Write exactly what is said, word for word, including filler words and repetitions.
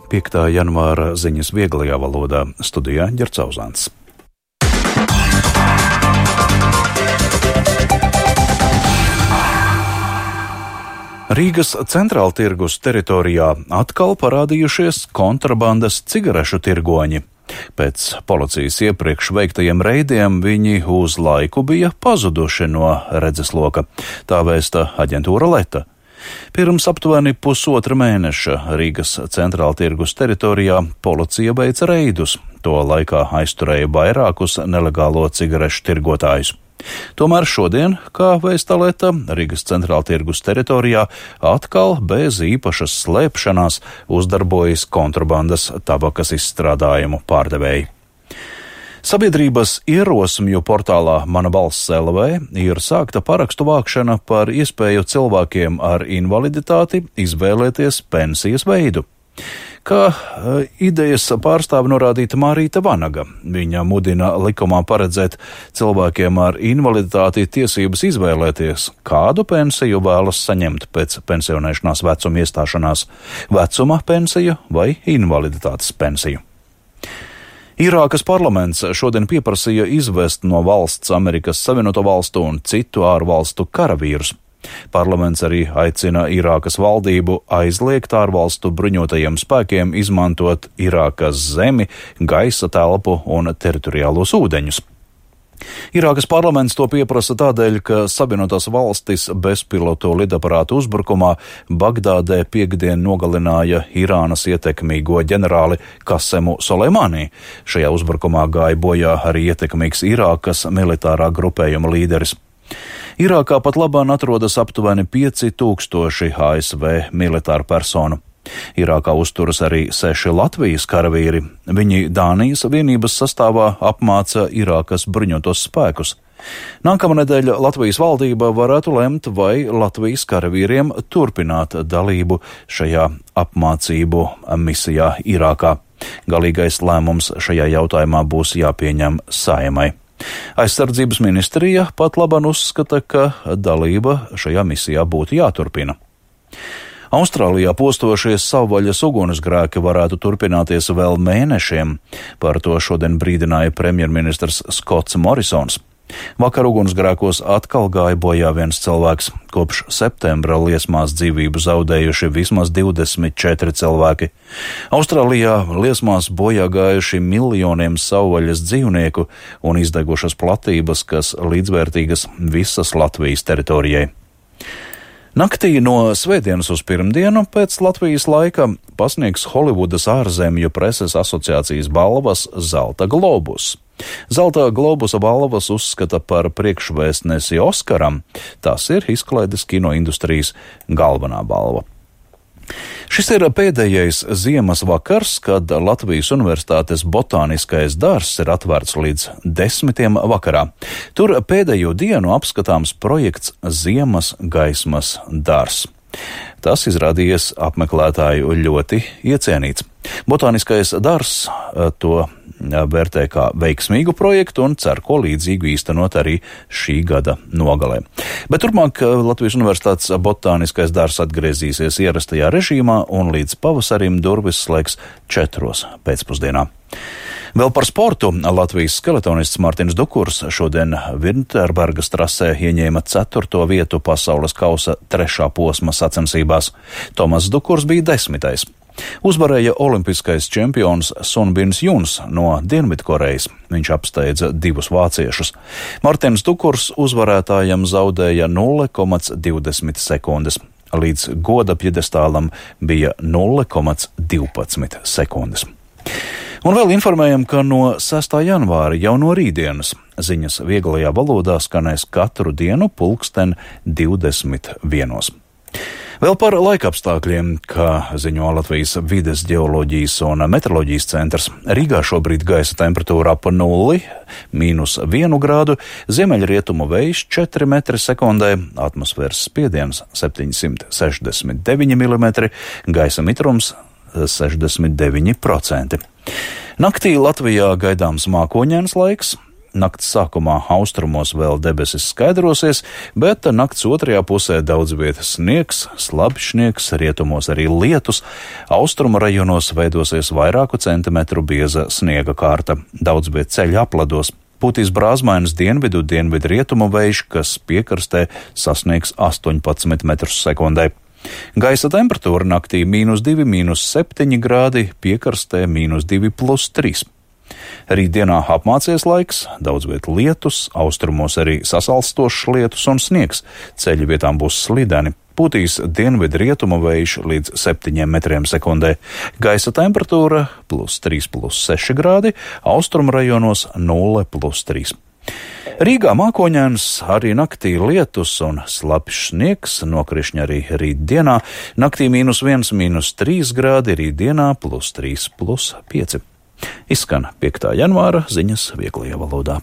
piektā janvāra ziņas vieglajā valodā, studijā Ģerts Auzāns. Rīgas centrāltirgus teritorijā atkal parādījušies kontrabandas cigarešu tirgoņi. Pēc policijas iepriekš veiktajiem reidiem viņi uz laiku bija pazuduši no redzesloka, tā vēsta aģentūra Leta. Pirms aptuveni pusotra mēneša Rīgas centrāltirgus teritorijā policija veica reidus, to laikā aizturēja vairākus nelegālo cigarešu tirgotājus. Tomēr šodien, kā vēsta Leta, Rīgas centrāltirgus teritorijā atkal bez īpašas slēpšanās uzdarbojas kontrabandas tabakas izstrādājumu pārdevēji. Sabiedrības ierosmju portālā Mana Balss L V ir sākta parakstu vākšana par iespēju cilvēkiem ar invaliditāti izvēlēties pensijas veidu. Kā idejas pārstāve norādīta Mārīta Vanaga. Viņa mudina likumā paredzēt cilvēkiem ar invaliditāti tiesības izvēlēties, kādu pensiju vēlas saņemt pēc pensionēšanās vecuma iestāšanās - vecuma pensiju vai invaliditātes pensiju. Irākas parlaments šodien pieprasīja izvest no valsts Amerikas Savienoto Valstu un citu ārvalstu karavīrus. Parlaments arī aicina Irākas valdību aizliegt ārvalstu bruņotajiem spēkiem izmantot Irākas zemi, gaisa telpu un teritoriālos ūdeņus. Irākas parlaments to pieprasa tādēļ, ka Savienotās valstis bezpilotu lidaparātu uzbrukumā Bagdādē piekdien nogalināja Irānas ietekmīgo ģenerāli Kasemu Soleimani. Šajā uzbrukumā gāja bojā arī ietekmīgs Irākas militārā grupējuma līderis. Irākā pat labāk atrodas aptuveni pieci tūkstoši A S V militāru personu. Irākā uzturas arī seši Latvijas karavīri. Viņi Dānijas vienības sastāvā apmāca Irākas bruņotos spēkus. Nākamnedēļ Latvijas valdība varētu lemt, vai Latvijas karavīriem turpināt dalību šajā apmācību misijā Irākā. Galīgais lēmums šajā jautājumā būs jāpieņem Saeimai. Aizsardzības ministrija pat laban uzskata, ka dalība šajā misijā būtu jāturpina. Austrālijā postošies savvaļas ugunsgrēki varētu turpināties vēl mēnešiem. Par to šodien brīdināja premjerministrs Skots Morisons. Vakar ugunsgrēkos atkal gāja bojā viens cilvēks. Kopš septembra liesmās dzīvību zaudējuši vismaz divdesmit četri cilvēki. Austrālijā liesmās bojā gājuši miljoniem savvaļas dzīvnieku un izdegušas platības, kas līdzvērtīgas visas Latvijas teritorijai. Naktī no svētdienas uz pirmdienu pēc Latvijas laika pasniegs Holivudas ārzemju preses asociācijas balvas Zelta globus. Zelta globusa balvas uzskata par priekšvēstnesi Oskaram. Tas ir izklaides kino industrijas galvenā balva. Šis ir pēdējais ziemas vakars, kad Latvijas Universitātes botāniskais dārzs ir atvērts līdz desmitiem vakarā. Tur pēdējo dienu apskatāms projekts Ziemas gaismas dārzs. Tas izrādījies apmeklētāju ļoti iecienīts. Botāniskais dārzs to vērtē kā veiksmīgu projektu un cer, ko līdzīgu īstenot arī šī gada nogalē. Bet turpmāk Latvijas Universitātes botāniskais dārzs atgriezīsies ierastajā režīmā un līdz pavasarim durvis slēgs četros pēcpusdienā. Vēl par sportu Latvijas skeletonists Mārtiņš Dukurs šodien Vinterbergas trasē ieņēma ceturto vietu pasaules kausa trešā posma sacensībās. Tomas Dukurs bija desmitais. Uzvarēja olimpiskais čempions Sunbins Juns no Dienvidkorejas. Viņš apsteidza divus vāciešus. Mārtiņš Dukurs uzvarētājam zaudēja nulle komats divdesmit sekundes. Līdz goda pjedestālam bija nulle komats divpadsmit sekundes. Un vēl informējam, ka no sestā janvāra jau no rītdienas ziņas vieglajā valodā skanēs katru dienu pulksten divdesmit vienos. Vēl par laikapstākļiem, kā ziņo Latvijas vides ģeoloģijas un meteoroloģijas centrs. Rīgā šobrīd gaisa temperatūra ap nulli, mīnus vienu grādu, ziemeļrietumu vējš četri metri sekundē, atmosfēras spiediens septiņsimt sešdesmit deviņi milimetri, gaisa mitrums sešdesmit deviņi procenti. Naktī Latvijā gaidāms mākoņains laiks. Nakts sākumā austrumos vēl debesis skaidrosies, bet nakts otrajā pusē daudz vietas sniegs, slabs sniegs, rietumos arī lietus. Austrumu rajonos veidosies vairāku centimetru bieza sniega kārta. Daudz viet ceļu aplados. Pūtīs brāzmainas dienvidu, dienvidu rietumu vējš, kas piekrastē sasniegs astoņpadsmit metrus sekundē. Gaisa temperatūra naktī mīnus divi, mīnus septiņi grādi, piekrastē mīnus divi plus trīs. Rītdienā apmācies laiks, daudz viet lietus, austrumos arī sasalstošs lietus un sniegs. Ceļu vietām būs slideni. Pūtīs dienvidu rietumu vējš līdz septiņiem metriem sekundē. Gaisa temperatūra plus trīs plus seši grādi, austrumu rajonos nulle plus trīs. Rīgā mākoņains, arī naktī lietus un slapjš sniegs, nokrišņi arī rītdienā. Naktī mīnus viens, mīnus trīs grādi, rītdienā plus trīs plus pieci. Izskan piektā janvāra ziņas vieglajā valodā.